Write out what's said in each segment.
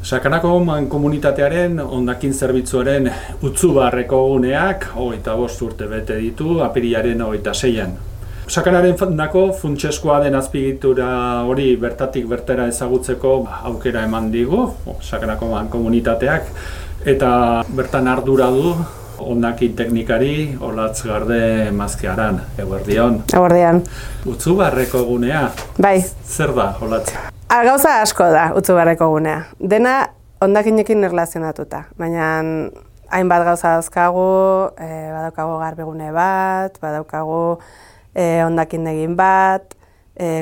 Sakanako komunitatearen hondakin zerbitzuaren Utzubarreko guneak 25 urte bete ditu apirilaren 26an. Sakanaren nako funtseskoa den azpiegitura hori bertatik bertara ezagutzeko aukera eman digu Sakanako komunitateak eta bertan ardura du hondakin teknikari Olatz Garde Mazkearan. Eguerdion. Eguerdion. Utzubarreko gunea. Bai. Zer da, Olatz? Gauza asko da Utzubarreko gunea. Dena hondakinekin erlazionatuta, baina hainbat gauza dauzkagu, badaukagu garbigune bat, badaukagu hondakindegin bat,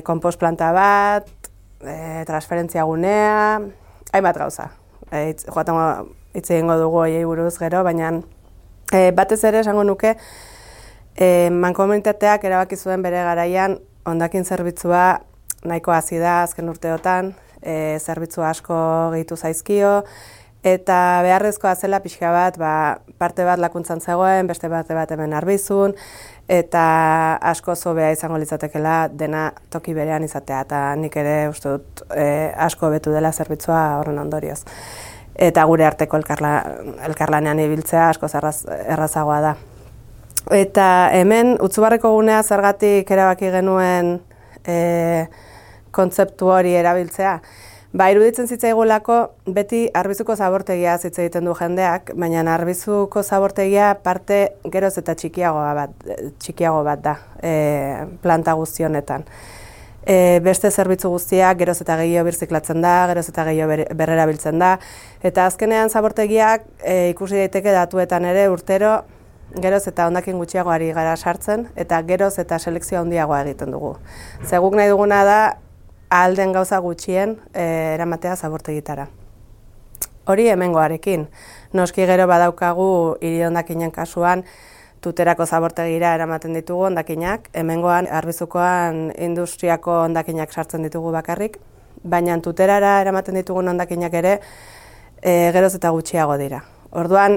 konpost planta bat, transferentzia gunea, hainbat gauza. Joaten hitz egingo dugu horiei buruz gero, baina batez ere esango nuke mankomunitateak erabaki zuen bere garaian hondakin zerbitzua nahiko hazi da azken urteotan, zerbitzu asko gehitu zaizkio, eta beharrezkoa zela pixka bat, parte bat lakuntzan zegoen, beste bat hemen arbizun, eta asko zobea izango litzatekela dena toki berean izatea, eta nik ere uste dut asko betu dela zerbitzua horren ondorioz. Eta gure arteko elkarlanean ibiltzea asko errazagoa da. Eta hemen Utzubarreko gunea zergatik erabaki genuen kontzeptu hori erabiltzea. Iruditzen zitzaigulako beti Arbizuko zabortegia hitz egiten du jendeak, baina Arbizuko zabortegia parte geroz eta txikiago bat da planta guzti honetan. Beste zerbitzu guztiak geroz eta gehiago birziklatzen da, geroz eta gehiago berrerabiltzen da, eta azkenean zabortegiak ikusi daiteke datuetan ere urtero geroz eta hondakin gutxiago ari gara sartzen, eta geroz eta selekzioa handiagoa egiten dugu. Guk nahi duguna da ahal den gauza gutxien eramatea zabortegitara. Hori hemengoarekin. Noski gero badaukagu hiri hondakinen kasuan Tuterako zabortegira eramaten ditugu hondakinak, hemengoan Arbizukoan industriako hondakinak sartzen ditugu bakarrik, baina Tuterara eramaten ditugun hondakinak ere geroz eta gutxiago dira. Orduan,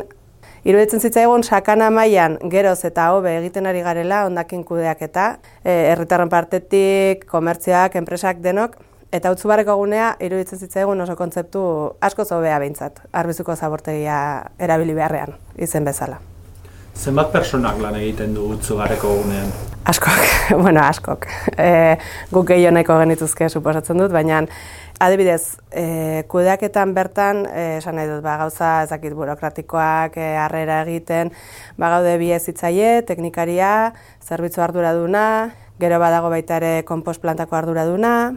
iruditzen zitzaigun sakana mailan geroz eta hobe egiten ari garela hondakin kudeaketa, herritarren partetik, komertzioak, enpresak denok, eta Utzubarreko gunea iruditzen zitzaigun oso kontzeptu asko hobea behintzat, Arbizuko zabortegia erabili beharrean, izen bezala. Zenbat personak lan egiten du Utzubarreko gunean? Askok. Guk gehiago nahiko genituzke suposatzen dut, baina adibidez, kudeaketan bertan, esan nahi dut, gauza ezakit burokratikoak, harrera egiten, gaude bi hezitzaile, teknikaria, zerbitzu arduraduna, gero badago baita ere konpost plantako arduraduna,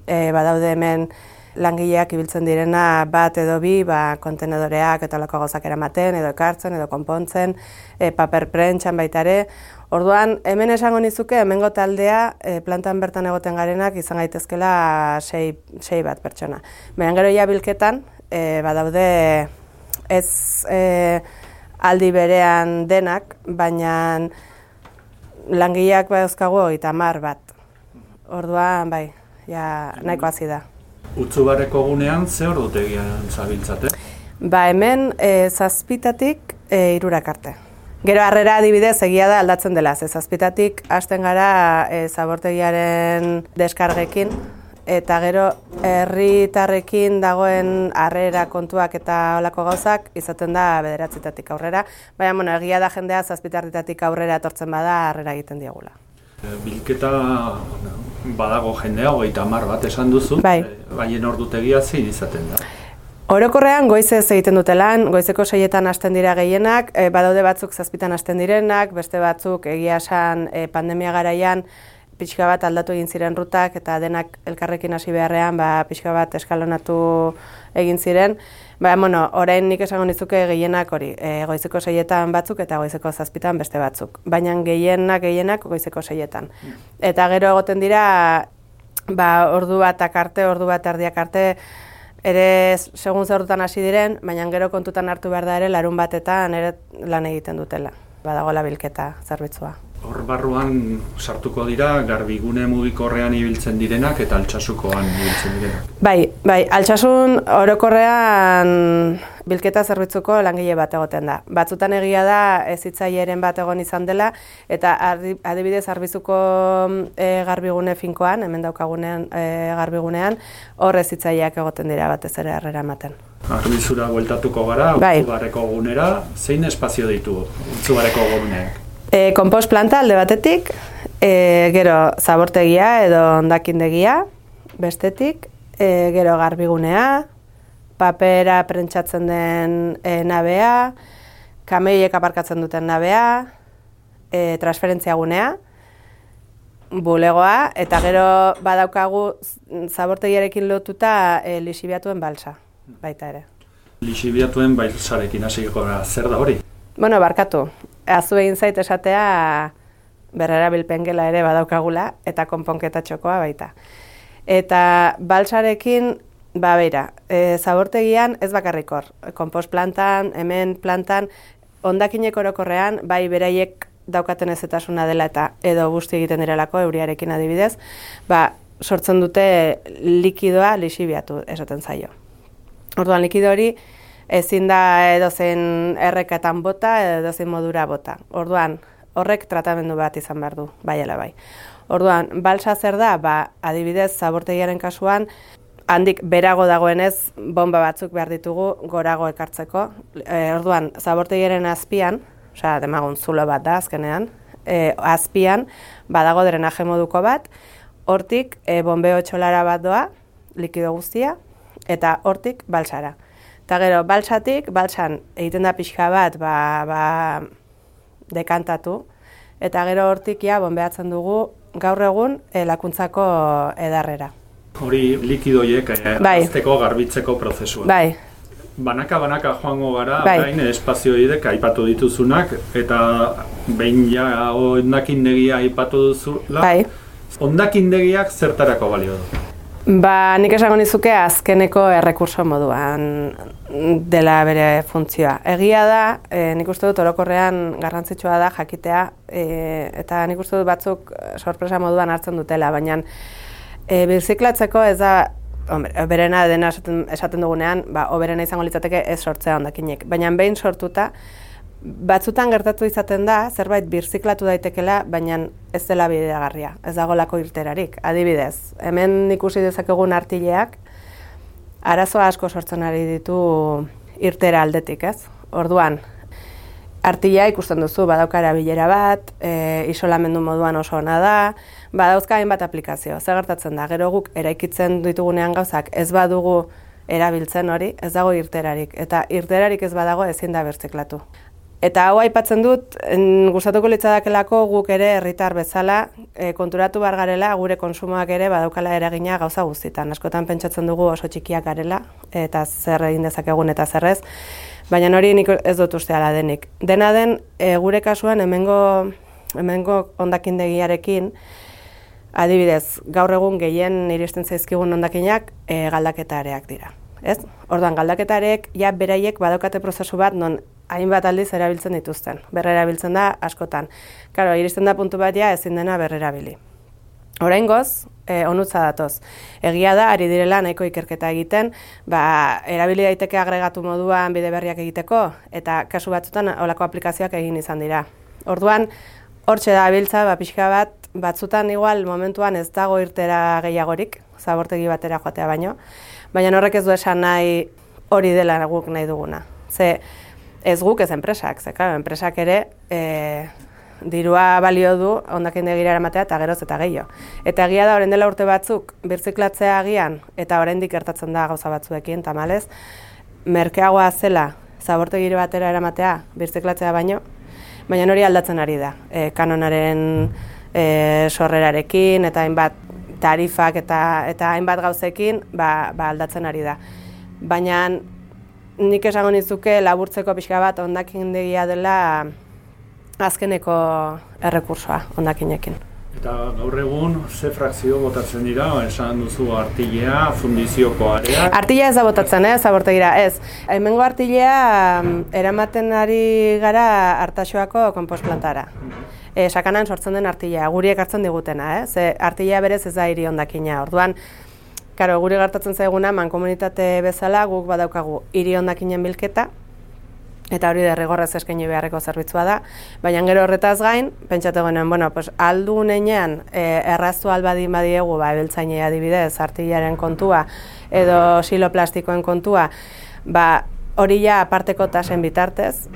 badaude hemen langileak ibiltzen direna bat edo bi, kontenedoreak eta olako gauzak eramaten, edo ekartzen, edo konpontzen, paper prentxan baita ere. Orduan, hemen esango nizuke, hemengo taldea plantan bertan egoten garenak izan gaitezkela 6 bat pertsona. Baina gero ja bilketan, badaude ez aldi berean denak, baina langileak dauzkagu 30 bat. Orduan, nahiko hazi da. Utzubarreko gunean ze ordutegian zabiltzate? Hemen 7-tatik 3 arte. Gero harrera adibidez egia da aldatzen dela, 7-tatik hasten gara zabortegiaren deskargekin, eta gero herritarrekin dagoen harrera kontuak eta olako gauzak izaten da 9-tatik aurrera, baina egia da jendea 7-tatik aurrera etortzen bada harrera egiten diegula. Bilketa badago jendea 30 bat esan duzu, baina ordutegia zein izaten da? Orokorrean goizez egiten dute lan, goizeko 6etan hasten dira gehienak, badaude batzuk 7etan hasten direnak, beste batzuk egia esan pandemia garaian pixka bat aldatu egin ziren rutak eta denak elkarrekin hasi beharrean pixka bat eskalonatu egin ziren. Orain nik esango nizuke gehienak hori, goizeko 6etan batzuk eta goizeko 7etan beste batzuk. Baina gehienak goizeko 6etan. Eta gero egoten dira, ordu bat arte, ordu bat erdiak arte, ere segun zerrutan hasi diren, baina gero kontutan hartu behar da ere larun batetan ere lan egiten dutela. Badagoela bilketa zerbitzua. Hor barruan sartuko dira garbigune mugikorrean ibiltzen direnak eta Altsasukoan ibiltzen direnak. Bai, Altsasun orokorrean bilketa zerbitzuko langile bat egoten da. Batzutan egia da hezitzaileren bat egon izan dela eta adibidez Arbizuko garbigune finkoan, hemen daukagunean garbigunean, hor hezitzaileak egoten dira batez ere harrera ematen. Arbizura bueltatuko gara, Bai. Utzubarreko gunera, zein espazio ditu Utzubarreko guneak? Konpost planta alde batetik, gero zabortegia edo hondakindegia bestetik, gero garbigunea, papera prentsatzen den nabea, kamioiek aparkatzen duten nabea, transferentzia gunea, bulegoa, eta gero badaukagu zabortegiarekin lotuta lixibiatuen balsa, baita ere. Lixibiatuen balsarekin hasiko gara, zer da hori? Bueno, barkatu, azu egin zait esatea berrerabilpen gela ere badaukagula, eta konponketa txokoa baita. Eta balsarekin, beira, zabortegian ez bakarrik hor, konpost plantan, hemen plantan, hondakinek orokorrean, bai beraiek daukaten ezetasuna dela eta edo busti egiten direlako euriarekin adibidez, sortzen dute likidoa lixibiatu esaten zaio. Orduan likido hori ezin da edozein erreketan bota edo edozein modura bota. Orduan horrek tratamendu bat izan behar du, bai ala bai. Orduan, balsa zer da, adibidez zabortegiaren kasuan, handik berago dagoenez bomba batzuk behar ditugu gorago ekartzeko. Orduan, zabortegiaren azpian, demagun zulo bat da azkenean, azpian badago drenaje moduko bat, hortik bombeo txolara bat doa, likido guztia, eta hortik balsara. Eta gero, balsan egiten da pixka bat dekantatu, eta gero hortik bombeatzen dugu gaur egun lakuntzako edarrera. Hori likidoiek azteko garbitzeko prozesua. Bai. Banaka joango gara, bain espazioidek aipatu dituzunak, eta behin ja hondakindegia aipatu duzula, hondakindegiak zertarako balio du? Nik esango nizuke azkeneko errekurso moduan dela bere funtzioa. Egia da, nik uste dut orokorrean garrantzitsua da jakitea, eta nik uste dut batzuk sorpresa moduan hartzen dutela, baina birziklatzeko ez da, berena dena esaten dugunean, oberena izango litzateke ez sortzea hondakinek. Baina behin sortuta, batzutan gertatu izaten da, zerbait birziklatu daitekela, baina ez dela bideagarria, ez dagolako irterarik. Adibidez, hemen ikusi dezakegun artileak, arazo asko sortzen ari ditu irtera aldetik, ez? Orduan, artilea ikusten duzu, badauka erabilera bat, isolamendu moduan oso ona da, badauzka hainbat aplikazio. Zer gertatzen da, gero guk eraikitzen ditugunean gauzak ez badugu erabiltzen hori, ez dago irterarik. Eta irterarik ez badago ezin da birziklatu. Eta hau aipatzen dut, gustatuko litzadakelako guk ere herritar bezala konturatu behar garela, gure konsumoak ere badaukala eragina gauza guztietan. Askotan pentsatzen dugu oso txikiak garela, eta zer egin dezakegun eta zerrez, baina hori nik ez dut uste ala denik. Dena den, gure kasuan hemengo hondakindegiarekin, adibidez, gaur egun gehien iristen zaizkigun hondakinak galdaketareak dira. Ez? Orduan, galdaketareek ja beraiek badaukate prozesu bat non hainbat aldiz erabiltzen dituzten. Berrerabiltzen da askotan. Karo, iristen da puntu bat ja ezin dena berrerabili. Oraingoz, onutza datoz. Egia da, ari direla nahiko ikerketa egiten, erabili daiteke agregatu moduan bide berriak egiteko, eta kasu batzutan holako aplikazioak egin izan dira. Orduan, hortxe da abiltza, pixka bat, batzutan igual momentuan ez dago irtera gehiagorik, zabortegi batera joatea baino, baina horrek ez du esan nahi hori dela guk nahi duguna. Ze ez guk ez enpresak, ze claro, enpresak ere dirua balio du hondakindegira eramatea eta geroz eta gehiago. Eta egia da orain dela urte batzuk birziklatzea agian eta oraindik gertatzen da gauza batzuekin tamalez, merkeagoa zela zabortegire batera eramatea birziklatzea baino, baina hori aldatzen ari da. Kanonaren sorrerarekin eta hainbat tarifak eta hainbat gauzekin aldatzen ari da. Baina nik esango nizuke laburtzeko pixka bat hondakindegia dela azkeneko errekursoa hondakinekin. Eta gaur egun, ze frakzio botatzen dira, esan duzu artilea, fundizioko area? Artilea ez da botatzen, zabortegira, ez. Hemengo artilea eramaten ari gara Artaxoako konpost plantara. Sakanan sortzen den artilea, guri ekartzen digutena, ze artilea berez ez da hiri hondakina. Orduan, guri gertatzen zaiguna, mankomunitate bezala guk badaukagu hiri hondakinen bilketa, eta hori derrigorrez eskaini beharreko zerbitzua da, baina gero horretaz gain, pentsatu genuen, aldu nenean erraztu albadin badiegu, ebeltzainei adibidez, artilaren kontua, edo siloplastikoen kontua, hori ja aparteko tasen bitartez,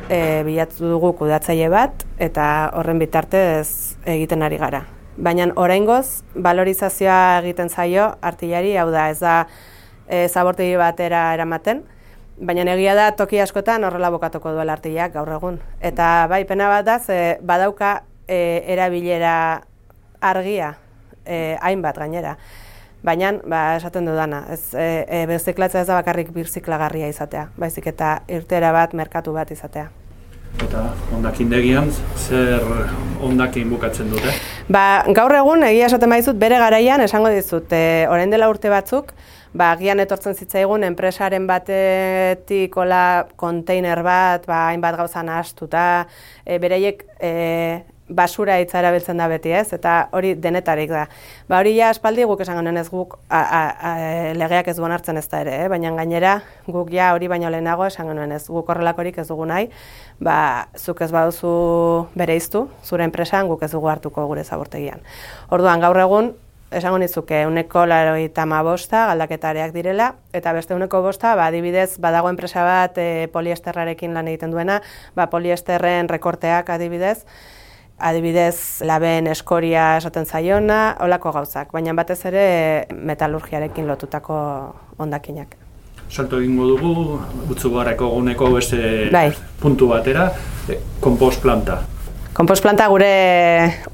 bilatu dugu kudeatzaile bat, eta horren bitartez egiten ari gara. Baina oraingoz, valorizazioa egiten zaio artillari, hau da, ez da zabortegi batera eramaten, baina egia da toki askotan horrela bokatuko duela artillak gaur egun. Eta bai, pena bat da, badauka erabilera argia, hainbat gainera. Baina, esaten dudana, birziklatzea ez da bakarrik birziklagarria izatea, baizik eta irteera bat, merkatu bat izatea. Eta hondakindegian, zer hondakin bukatzen dute? Gaur egun, egia esaten baizut, bere garaian, esango dizut, orain dela urte batzuk, agian etortzen zitzaigun enpresaren batetik konteiner bat, hainbat gauza nahastuta, bereiek basura hitza erabiltzen da beti, ez? Eta hori denetarik da. Hori ja aspaldi guk esan genuen ez guk legeak ez duen hartzen ez da ere, baina gainera guk ja hori baino lehenago esan genuen ez guk horrelakorik ez dugu nahi, zuk ez baduzu bereiztu, zure enpresan guk ez dugu hartuko gure zabortegian. Orduan gaur egun esango nizuke 95% galdaketareak direla, eta beste 5% adibidez badago enpresa bat poliesterrarekin lan egiten duena, poliesterren rekorteak adibidez laben eskoria esaten zaiona, holako gauzak, baina batez ere metalurgiarekin lotutako hondakinak. Salto egingo dugu, Utsubarreko guneko beste puntu batera, konpost planta. Konpost planta gure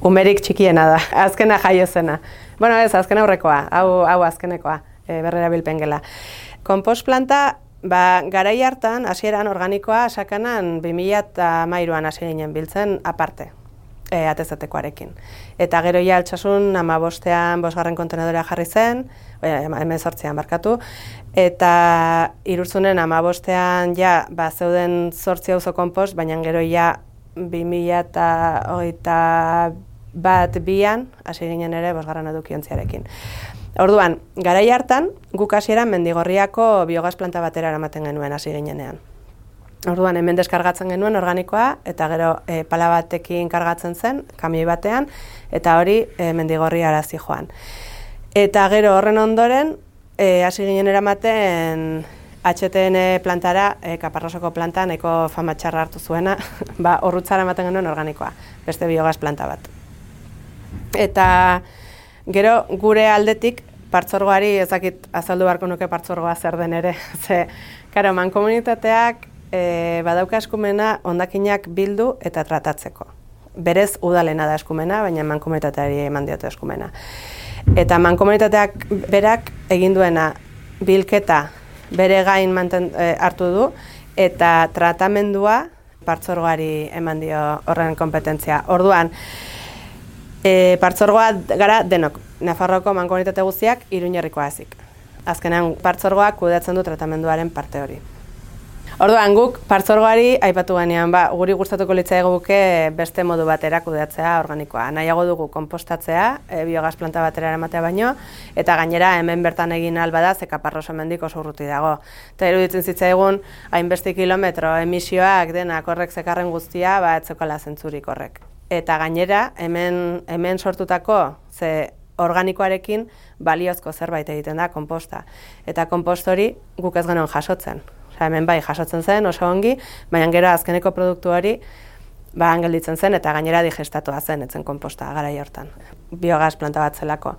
umerik txikiena da, azkena jaio zena. Bueno, ez, azken aurrekoa, hau azkenekoa, berrerabilpen gela. Konpost planta, garai hartan, hasieran organikoa sakanan 2013an hasi ginen biltzen aparte. Atezatekoarekin. Eta gero ja altsasun 15ean 5. kontenedora jarri zen, 18ean barkatu, eta Irurtzunen 15ean ja zeuden 8 auzo konpost, baina gero ja 2022an hasi ginen ere 5. edukiontziarekin. Orduan, garai hartan guk hasieran Mendigorriako biogas planta batera eramaten genuen hasi ginenean. Orduan, hemen deskargatzen genuen organikoa, eta gero pala batekin kargatzen zen, kamioi batean, eta hori Mendigorri arazi joan. Eta gero horren ondoren, hasi ginen eramaten HTN plantara, Kaparrosoko planta, nahiko fama txarra hartu zuena, horrutzara ematen genuen organikoa, beste biogas planta bat. Eta gero gure aldetik, partzuergoari ezakit azaldu beharko nuke partzuergoa zer den ere, karo, mankomunitateak badauka eskumena hondakinak bildu eta tratatzeko. Berez udalena da eskumena, baina mankomunitateari eman diote eskumena. Eta mankomunitateak berak egin duena bilketa bere gain hartu du eta tratamendua partzuergoari eman dio horren konpetentzia. Orduan, partzuergoa gara denok, Nafarroako mankomunitate guztiak Iruñerrikoa ezik. Azkenean partzuergoak kudeatzen du tratamenduaren parte hori. Orduan, guk partzuergoari aipatu genean, guri gustatuko litzaiguke beste modu batera kudeatzea organikoa. Nahiago dugu konpostatzea, biogas planta batera eramatea baino, eta gainera hemen bertan egin albada ze Kaparroso hemendik oso urruti dago. Eta iruditzen zitzaigun, hainbeste kilometro emisioak denak horrek zekarren guztia, ez zeukala zentzurik horrek. Eta gainera, hemen sortutako ze organikoarekin baliozko zerbait egiten da konposta. Eta konpost hori guk ez genuen jasotzen. Hemen bai jasotzen zen oso ongi, baina gero azkeneko produktu hori gelditzen zen eta gainera digestatua zen etzen konposta garai hortan. Biogas planta bat zelako.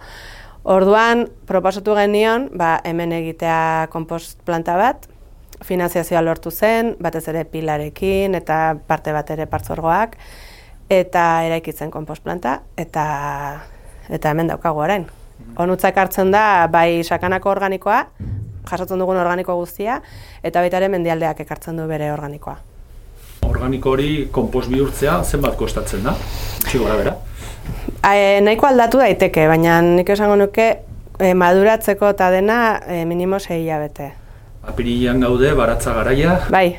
Orduan proposatu genion hemen egitea konpost planta bat, finanziazioa lortu zen, batez ere pilarekin eta parte bat ere partzuergoak, eta eraikitzen konpost planta eta hemen daukagu orain. Onutzak hartzen da bai sakanako organikoa, jasotzen dugun organiko guztia, eta baita ere mendialdeak ekartzen du bere organikoa. Organiko hori konpost bihurtzea zenbat kostatzen da? Txigora bera? Nahiko aldatu daiteke, baina nik esango nuke maduratzeko eta dena minimo 6 hilabete. Apirilean gaude, baratza garaia? Bai,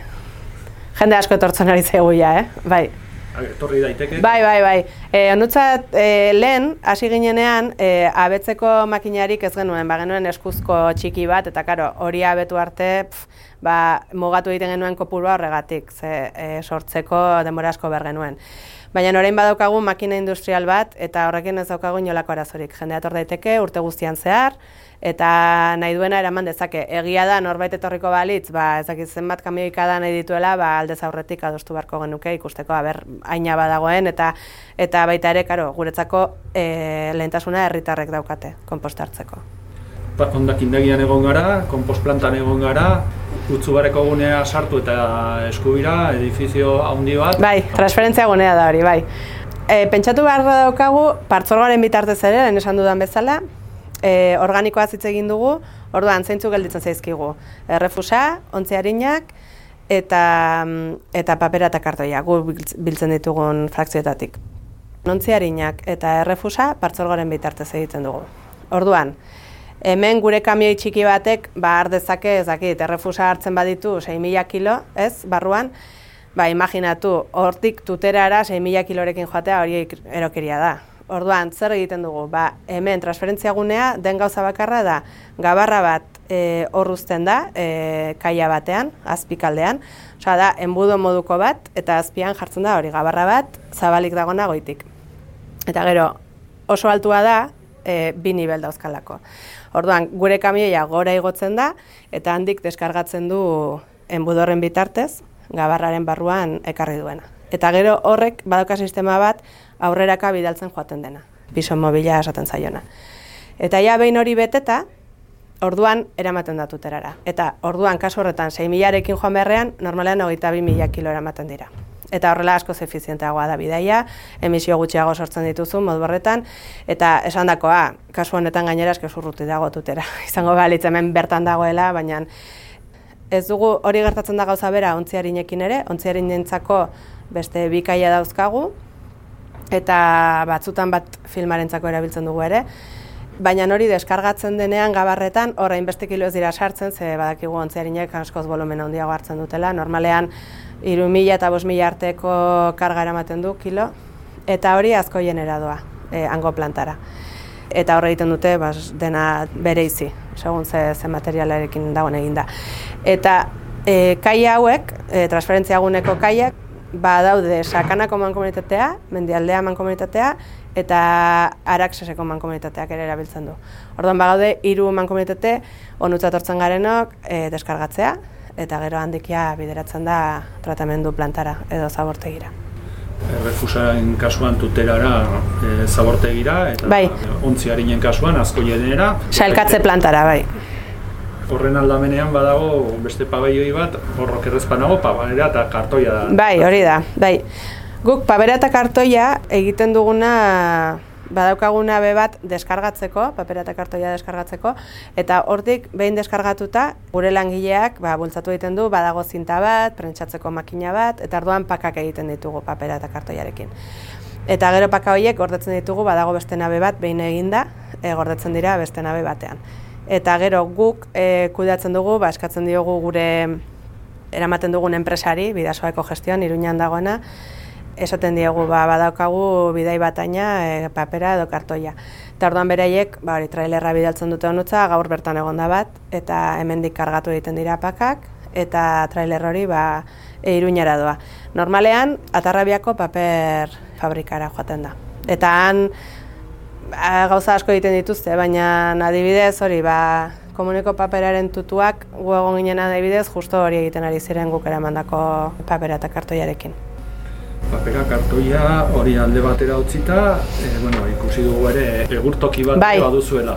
jende asko etortzen ari zaigu ja, bai. Etorri daiteke? Bai. Onutzat lehen, hasi ginenean, abetzeko makinarik ez genuen, genuen eskuzko txiki bat, eta karo, hori abetu arte, mugatu egiten genuen kopurua horregatik, sortzeko denbora asko behar genuen. Baina orain badaukagu makina industrial bat, eta horrekin ez daukagu inolako arazorik. Jendea etor daiteke urte guztian zehar, eta nahi duena eraman dezake. Egia da norbait etorriko balitz, ez dakit zenbat kamioikada nahi dituela, aldez aurretik adostu beharko genuke ikusteko haina badagoen eta baita ere, guretzako lehentasuna herritarrek daukate konpostartzeko. Hondakindegian egon gara, konpost-plantan egon gara, Utzubarreko gunea sartu eta Eskubira, edifizio handi bat. Bai, transferentzia gunea da hori, bai. Pentsatu behar daukagu, partzuergoaren bitartez ere, lehen esan dudan bezala, organikoa hitz egin dugu, orduan zeintzuk gelditzen zaizkigu. Errefusa, ontzi arinak eta papera eta kartoia, gu biltzen ditugun frakzioetatik. Ontzi arinak eta errefusa partzuergoaren bitartez egiten dugu. Orduan, hemen gure kamioi txiki batek, har dezake, ez dakit, errefusa hartzen baditu 6.000 kilo, ez, barruan, imaginatu, hortik tuterara 6.000 kilorekin joatea hori erokeria da. Orduan, zer egiten dugu? Hemen transferentzia gunea den gauza bakarra da, gabarra bat hor uzten da, kaia batean, azpikaldean, osea da, enbudo moduko bat, eta azpian jartzen da hori gabarra bat, zabalik dagona goitik. Eta gero, oso altua da, 2 nivel dauzkalako. Orduan, gure kamioia gora igotzen da, eta handik deskargatzen du enbudorren bitartez, gabarraren barruan ekarri duena. Eta gero horrek badauka sistema bat aurreraka bidaltzen joaten dena, piso mobila esaten zaiona. Eta ja behin hori beteta, orduan eramaten da tuterara. Eta orduan kasu horretan 6.000rekin joan beharrean, normalean 22.000 kilo eramaten dira. Eta horrela askoz efizienteagoa da bidaia, emisio gutxiago sortzen dituzu modu horretan, eta esandakoa, kasu honetan gainera eske urruti dago tutera. Izango balitz hemen bertan dagoela, baina ez dugu hori gertatzen da gauza bera ontziarinekin ere, ontziarinentzako beste 2 kaia dauzkagu, eta batzutan bat filmarentzako erabiltzen dugu ere, baina hori deskargatzen denean gabarretan, orain beste kilo ez dira sartzen, ze badakigu ontziarinek askoz volumen handiago hartzen dutela, normalean 3.000 eta 5.000 arteko karga eramaten du kilo, eta hori asko jenera doa, hango plantara. Eta horre egiten dute dena bereizi, segun ze materialarekin dagoen eginda. Eta kaia hauek, transferentziaguneko kaiak, daude Sakanako mankomunitatea, Mendialdea mankomunitatea, eta Araxeseko mankomunitateak ere erabiltzen du. Orduan bagaude 3 mankomunitate onutzat hartzen garenok deskargatzea, eta gero handikia bideratzen da tratamendu plantara edo zabortegira. Errefusaren kasuan tuterara zabortegira, eta ontzi arinen kasuan asko jenera. Sailkatze plantara, bai. Horren aldamenean badago beste pabelloi bat, horrok errezpanago, pabera eta kartoia da. Bai, hori da, bai. Guk pabera eta kartoia egiten duguna, badaukaguna bat deskargatzeko, papera eta kartoia deskargatzeko, eta hortik behin deskargatuta, gure langileak bultzatu egiten du, badago zinta bat, prentsatzeko makina bat, eta orduan pakak egiten ditugu papera eta kartoiarekin. Eta gero paka horiek gordetzen ditugu, badago beste nabe bat, behin eginda, gordetzen dira beste nabe batean. Eta gero guk kudeatzen dugu, eskatzen diogu gure eramaten dugun enpresari, Bidasoako Gestioan, Iruñan dagoena, esaten diegu badaukagu bidai bataina papera edo kartoia. Eta orduan beraiek trailerra bidaltzen dute honutza, gaur bertan egonda bat, eta hemendik kargatu egiten dira pakak, eta trailer hori Iruñara doa. Normalean, Atarrabiako paper fabrikara joaten da. Eta han gauza asko egiten dituzte, baina adibidez hori komuneko paperaren tutuak gu egon ginen adibidez, justo hori egiten ari ziren guk eramandako papera eta kartoiarekin. Papera, kartoia hori alde batera utzita, ikusi dugu ere egurtoki bat baduzuela.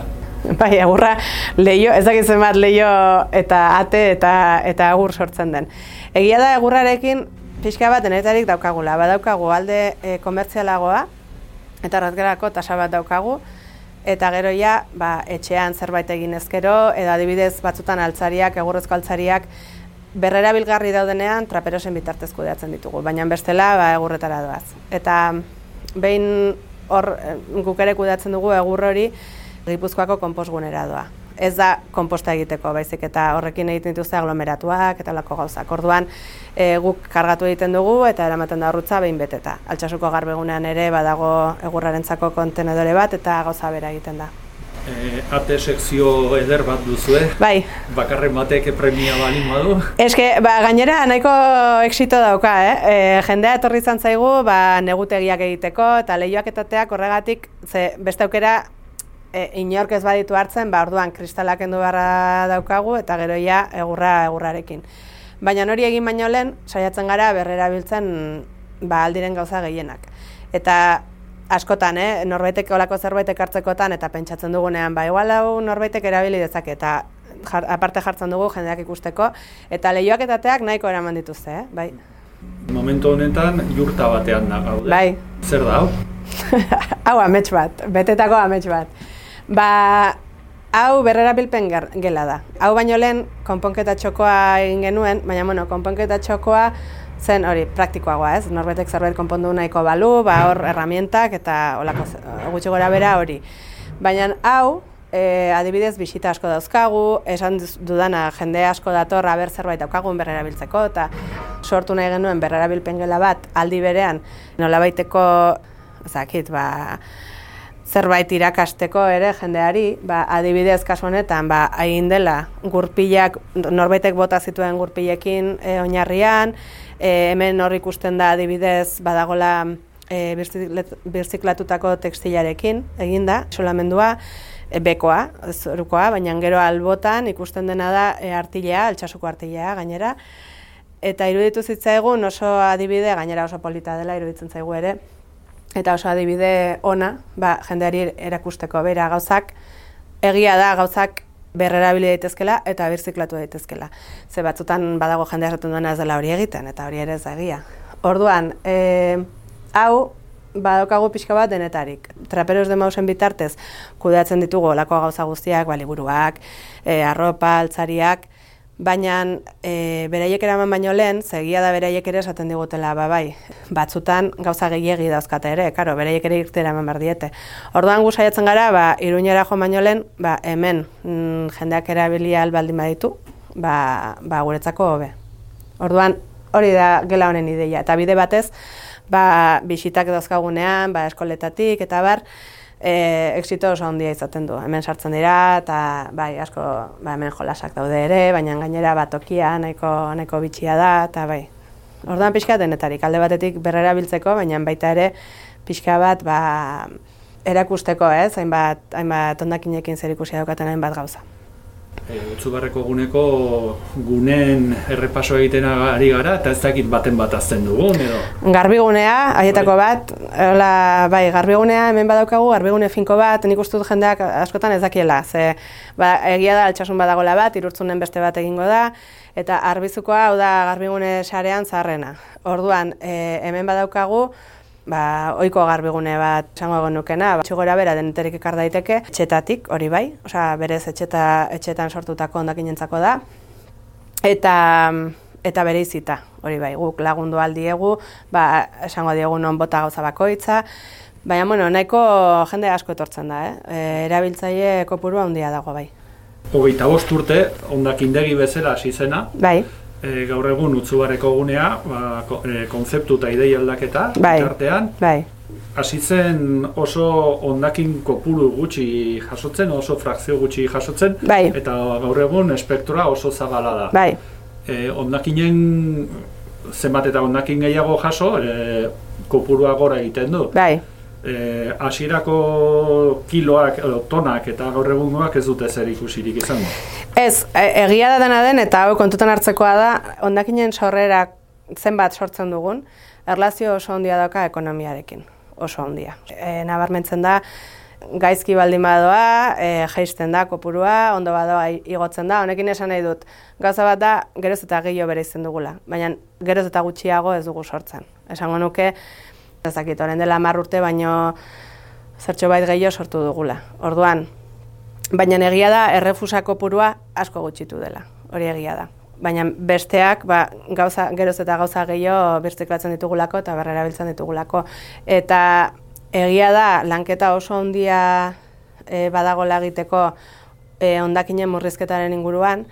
Bai, egurra leio, ez dakitzen bat leio eta ate eta egur sortzen den. Egia da egurrarekin pixka bat denetarik daukagula, badaukagu alde komertzialagoa, eta errazgerako tasa bat daukagu, eta gero etxean zerbait egin ezkero, edo adibidez batzutan altzariak, egurrezko altzariak, berrerabilgarri daudenean traperosen bitartez kudeatzen ditugu, baina bestela egurretara doaz. Eta behin hor guk ere kudeatzen dugu egur hori Gipuzkoako konpostgunera doa. Ez da konposta egiteko, baizik eta horrekin egiten dituzte aglomeratuak eta lako gauzak. Orduan guk kargatu egiten dugu eta eramaten da horrutza behin beteta. Altsasuko garbegunean ere badago egurrarentzako kontenedore bat eta gauza bera egiten da. Ate sekzio eder bat duzu, Bai. Bakarren batek premia balin badu? Eske, gainera nahiko exito dauka, Jendea etorri izan zaigu, negutegiak egiteko eta leioak etateak horregatik, beste aukera inork ez baditu hartzen, orduan kristalak kendu beharra daukagu eta gero ja egurrarekin. Baina hori egin baino lehen, saiatzen gara berrerabiltzen aldiren gauza gehienak. Eta askotan, norbaitek olako zerbait ekartzekotan eta pentsatzen dugunean, igual hau norbaitek erabili dezake eta aparte jartzen dugu jendeak ikusteko, eta lehioak eta teak nahiko eraman dituzte, bai. Momentu honetan jurta batean da gaude. Bai. Zer da hau? Hau amets bat, betetako amets bat. Hau berrerabilpen gela da. Hau baino lehen konponketa txokoa egin genuen, baina konponketa txokoa zen hori praktikoagoa, ez? Norbaitek zerbait konpondu nahiko balu, hor herramientak eta olako gutxi gora bera hori. Baina hau, adibidez bisita asko dauzkagu, esan dudana jende asko dator aber zerbait daukagun berrerabiltzeko eta sortu nahi genuen berrerabilpen gela bat aldi berean nolabaiteko zerbait irakasteko ere jendeari, adibidez kasu honetan egin dela gurpilak norbaitek bota zituen gurpilekin oinarrian, hemen hor ikusten da adibidez badagola birziklatutako tekstilarekin eginda, isolamendua, bekoa, zorukoa, baina gero albotan ikusten dena da artilea, altsasuko artilea gainera. Eta iruditu zitzaigun oso adibide, gainera oso polita dela iruditzen zaigu ere, eta oso adibide ona, jendeari erakusteko bera gauzak, egia da gauzak berrerabili daitezkela eta birziklatu daitezkela. Ze batzutan badago jendea esaten duena ez dela hori egiten, eta hori ere ez da egia. Orduan, hau, badaukagu pixka bat denetarik. Traperos de Mausen bitartez kudeatzen ditugu olako gauza guztiak, liburuak, arropa, altzariak, baina beraiek eraman baino lehen, egia da beraiek ere esaten digutela, batzutan gauza gehiegi dauzkate ere, beraiek ere irtera eman behar diete. Orduan gu saiatzen gara, Iruñera joan baino lehen, hemen jendeak erabilia albaldin baditu, guretzako hobe. Orduan hori da gela honen ideia, eta bide batez, bisitak dauzkagunean, eskoletatik, eta exito oso handia izaten du. Hemen sartzen dira, eta asko hemen jolasak daude ere, baina gainera tokia nahiko bitxia da, eta Orduan pixka denetarik, alde batetik berrerabiltzeko, baina baita ere pixka bat erakusteko, hainbat hondakinekin zer ikusia daukaten hainbat gauza. Utsubarreko guneko gunen errepaso egiten ari gara, eta ez dakit baten bat azten dugun, edo? Garbigunea, haietako bat, garbigunea hemen badaukagu, garbigune finko bat, nik uste dut jendeak askotan ez dakiela, egia da altsasun badagola bat, Irurtzunen beste bat egingo da, eta Arbizukoa, hau da garbigune sarean zaharrena. Orduan, hemen badaukagu, ohiko garbigune bat esango genukena, txigora bera deneterik ekar daiteke, etxetatik, hori berez etxetan sortutako hondakinentzako da, eta bere izita, hori guk lagundu aldiegu, esango diegu non bota gauza bakoitza, baina nahiko jende asko etortzen da, erabiltzaile kopurua handia dago 25 urte, hondakindegi bezala hasi zena. Gaur egun Utsubarreko gunea, konzeptu eta idei aldaketa, artean, hasi zen oso hondakin kopuru gutxi jasotzen, oso frakzio gutxi jasotzen, eta gaur egun espektroa oso zabala da. Hondakinen zenbat eta hondakin gehiago jaso, kopurua gora egiten du. Hasierako kiloak, tonak eta gaur egungoak ez dute zer ikusirik izango. Ez, egia da dena den eta hau kontutan hartzekoa da, hondakinen sorrera zenbat sortzen dugun, erlazio oso handia dauka ekonomiarekin, oso handia. Nabarmentzen da, gaizki baldin badoa, jaisten da kopurua, ondo badoa igotzen da, honekin esan nahi dut. Gauza bat da, geroz eta gehiago bereizten dugula, baina geroz eta gutxiago ez dugu sortzen. Esango nuke, ez dakit, orain dela 10 urte, baino zertxo bait gehiago sortu dugula. Orduan, baina egia da, errefusa kopurua asko gutxitu dela, hori egia da. Baina besteak, geroz eta gauza gehiago birziklatzen ditugulako eta berrerabiltzen ditugulako. Eta egia da, lanketa oso handia badagoela egiteko hondakinen murrizketaren inguruan,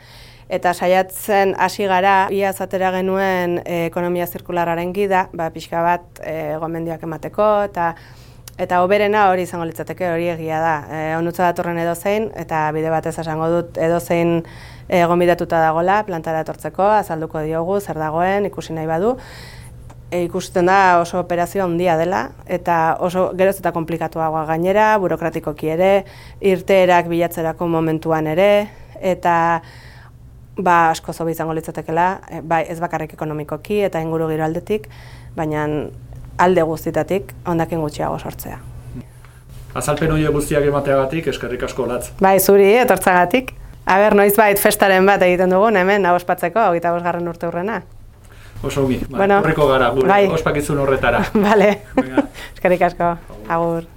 eta saiatzen hasi gara, iaz atera genuen ekonomia zirkularraren gida, pixka bat gomendioak emateko, eta hoberena hori izango litzateke, hori egia da. Onutza datorren edozein, eta bide batez esango dut edozein gonbidatuta dagola, plantara etortzeko, azalduko diogu, zer dagoen, ikusi nahi badu. ikusten da oso operazio handia dela, eta oso geroz eta komplikatuagoa gainera, burokratikoki ere, irteerak bilatzerako momentuan ere, eta asko zobe izango litzatekela, ez bakarrik ekonomikoki eta inguru giro aldetik, baina alde guztitatik hondakin gutxiago sortzea. Azalpen horiek guztiak emateagatik, eskerrik asko Olatz. Bai, zuri, etortzagatik. Noizbait festaren bat egiten dugun, hemen, ospatzeko, 25. urte hurrena. Oso ongi, horreko gara, gure ospakizun horretara. Bale, eskerrik asko, agur.